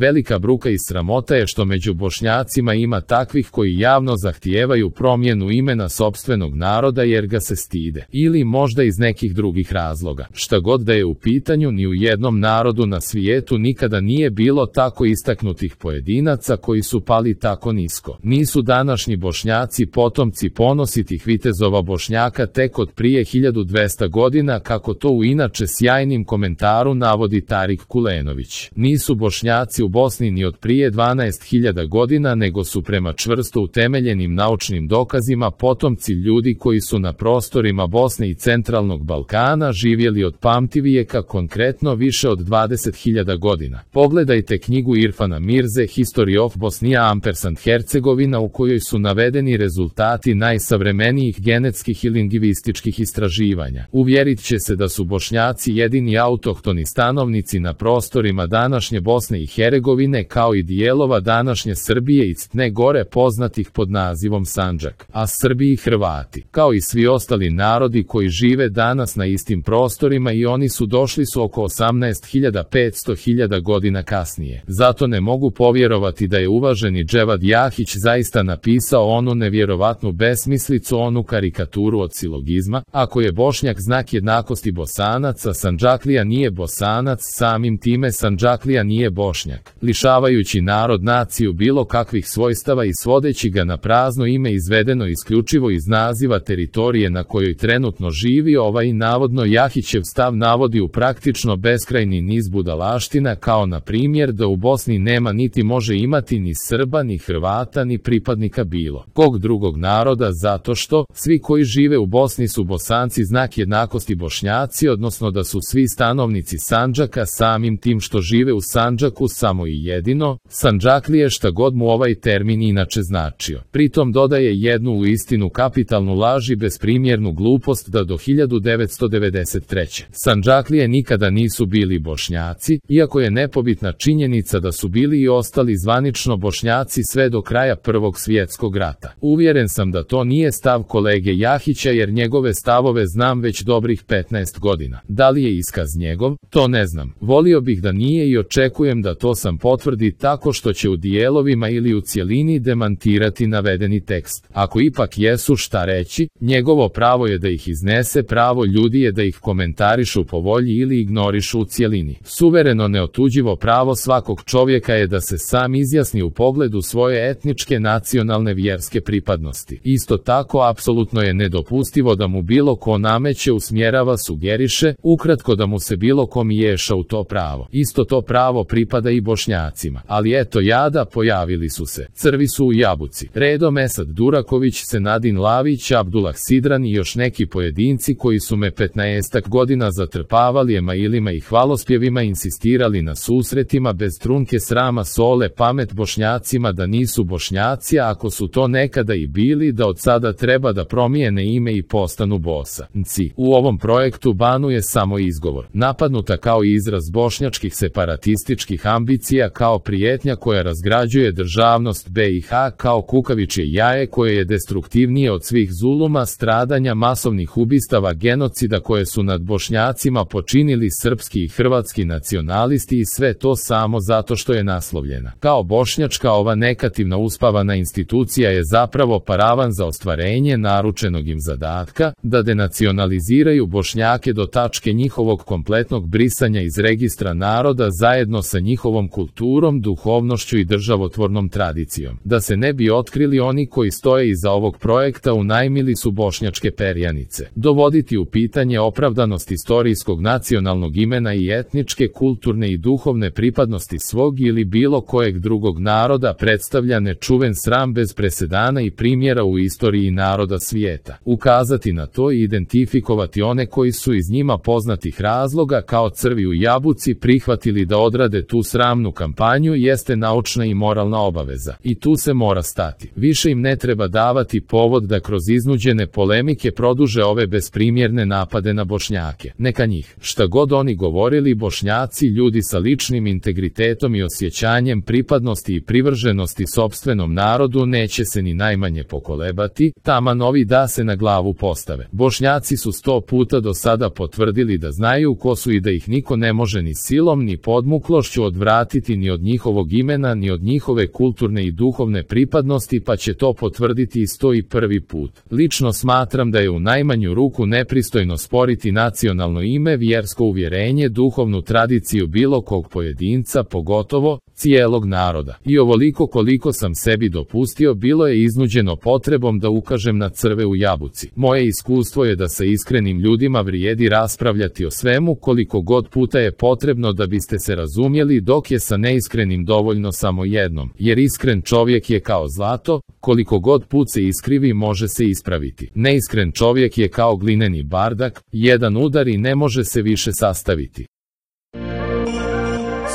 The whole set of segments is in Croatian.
Velika bruka i sramota je što među Bošnjacima ima takvih koji javno zahtijevaju promjenu imena sopstvenog naroda jer ga se stide, ili možda iz nekih drugih razloga. Šta god da je u pitanju, ni u jednom narodu na svijetu nikada nije bilo tako istaknutih pojedinaca koji su pali tako nisko. Nisu današnji Bošnjaci potomci ponositih vitezova Bošnjaka tek od prije 1200 godina, kako to u inače sjajnim komentaru navodi Tarik Kulenović. Nisu Bošnjaci u Bosni ni od prije 12.000 godina, nego su prema čvrsto utemeljenim naučnim dokazima potomci ljudi koji su na prostorima Bosne i centralnog Balkana živjeli od pamtivijeka, konkretno više od 20.000 godina. Pogledajte knjigu Irfana Mirze History of Bosnia & Hercegovina, u kojoj su navedeni rezultati najsavremenijih genetskih i lingvističkih istraživanja. Uvjerit će se da su Bošnjaci jedini autohtoni stanovnici na prostorima današnje Bosne i Hercegovine, kao i dijelova današnje Srbije i Crne Gore poznatih pod nazivom Sandžak, a Srbi i Hrvati, kao i svi ostali narodi koji žive danas na istim prostorima, i oni su došli oko 18.500 godina kasnije. Zato ne mogu povjerovati da je uvaženi Dževad Jahić zaista napisao onu nevjerovatnu besmislicu, onu karikaturu od silogizma: ako je Bošnjak znak jednakosti Bosanac, a Sandžaklija nije Bosanac, samim time Sandžaklija nije Bošnjak, lišavajući narod naciju bilo kakvih svojstava i svodeći ga na prazno ime izvedeno isključivo iz naziva teritorije na kojoj trenutno živi. Ovaj navodno Jahićev stav navodi u praktično beskrajni niz budalaština, kao na primjer da u Bosni nema niti može imati ni Srba, ni Hrvata, ni pripadnika bilo kog drugog naroda, zato što svi koji žive u Bosni su Bosanci znak jednakosti Bošnjaci, odnosno da su svi stanovnici Sandžaka, samim tim što žive u Sandžaku, samo i jedino Sandžaklije, šta god mu ovaj termin inače značio. Pritom dodaje jednu uistinu kapitalnu laž i besprimjernu glupost da do 1993. Sandžaklije nikada nisu bili Bošnjaci, iako je nepobitna činjenica da su bili i ostali zvanično Bošnjaci sve do kraja Prvog svjetskog rata. Uvjeren sam da to nije stav kolege Jahića, jer njegove stavove znam već dobrih 15 godina. Da li je iskaz njegov? To ne znam. Volio bih da nije i očekujem da to sam potvrdi tako što će u dijelovima ili u cjelini demantirati navedeni tekst. Ako ipak jesu, šta reći? Njegovo pravo je da ih iznese, pravo ljudi je da ih komentarišu po volji ili ignorišu u cjelini. Suvereno neotuđivo pravo svakog čovjeka je da se sam izjasni u pogledu svoje etničke, nacionalne, vjerske pripadnosti. Isto tako, apsolutno je nedopustivo da mu bilo ko nameće, usmjerava, sugeriše, ukratko da mu se bilo ko miješa u to pravo. Isto to pravo pripada i Bošnjacima. Ali eto jada, pojavili su se. Crvi su u jabuci. Redom Esad Duraković, Senadin Lavić, Abdullah Sidran i još neki pojedinci koji su me 15 godina zatrpavali emailima i hvalospjevima, insistirali na susretima bez trunke srama, sole pamet Bošnjacima da nisu Bošnjaci, a ako su to nekada i bili, da od sada treba da promijene ime i postanu Bosanci. U ovom projektu Banu je samo izgovor, napadnuta kao izraz bošnjačkih separatističkih ambicija, kao prijetnja koja razgrađuje državnost BiH, kao kukavičje jaje koje je destruktivnije od svih zuluma, stradanja, masovnih ubistava, genocida koje su nad Bošnjacima počinili srpski i hrvatski nacionalisti, i sve to samo zato što je naslovljena kao bošnjačka. Ova negativna uspavana institucija je zapravo paravan za ostvarenje naručenog im zadatka da denacionaliziraju Bošnjake do tačke njihovog kompletnog brisanja iz registra naroda zajedno sa njihovom kulturom, duhovnošću i državotvornom tradicijom. Da se ne bi otkrili oni koji stoje iza ovog projekta, unajmili su bošnjačke perjanice. Dovoditi u pitanje opravdanost istorijskog nacionalnog imena i etničke, kulturne i duhovne pripadnosti svog ili bilo kojeg drugog naroda predstavlja nečuven sram bez presedana i primjera u istoriji naroda svijeta. Ukazati na to i identifikovati one koji su iz njima poznatih razloga kao crvi u jabuci prihvatili da odrade tu sramnu kampanju jeste naučna i moralna obaveza. I tu se mora stati. Više im ne treba davati povod da kroz iznuđene polemike produže ove besprimjerne napade na Bošnjake. Neka njih, šta god oni govorili, Bošnjaci, ljudi sa ličnim integritetom i osjećanjem pripadnosti i privrženosti sopstvenom narodu, neće se ni najmanje pokolebati, taman ovi da se na glavu postave. Bošnjaci su 100 puta do sada potvrdili da znaju ko su i da ih niko ne može ni silom ni podmuklošću odvratiti odvratiti ni od njihovog imena ni od njihove kulturne i duhovne pripadnosti, pa će to potvrditi i 101. put. Lično smatram da je u najmanju ruku nepristojno sporiti nacionalno ime, vjersko uvjerenje, duhovnu tradiciju bilo kog pojedinca, pogotovo cijelog naroda. I ovoliko koliko sam sebi dopustio bilo je iznuđeno potrebom da ukažem na crve u jabuci. Moje iskustvo je da sa iskrenim ljudima vrijedi raspravljati o svemu koliko god puta je potrebno da biste se razumjeli, dok je sa neiskrenim dovoljno samo jednom, jer iskren čovjek je kao zlato, koliko god put se iskrivi može se ispraviti. Neiskren čovjek je kao glineni bardak, jedan udar i ne može se više sastaviti.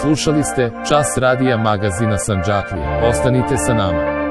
Slušali ste Čas radija magazina Sandžaklija. Ostanite sa nama.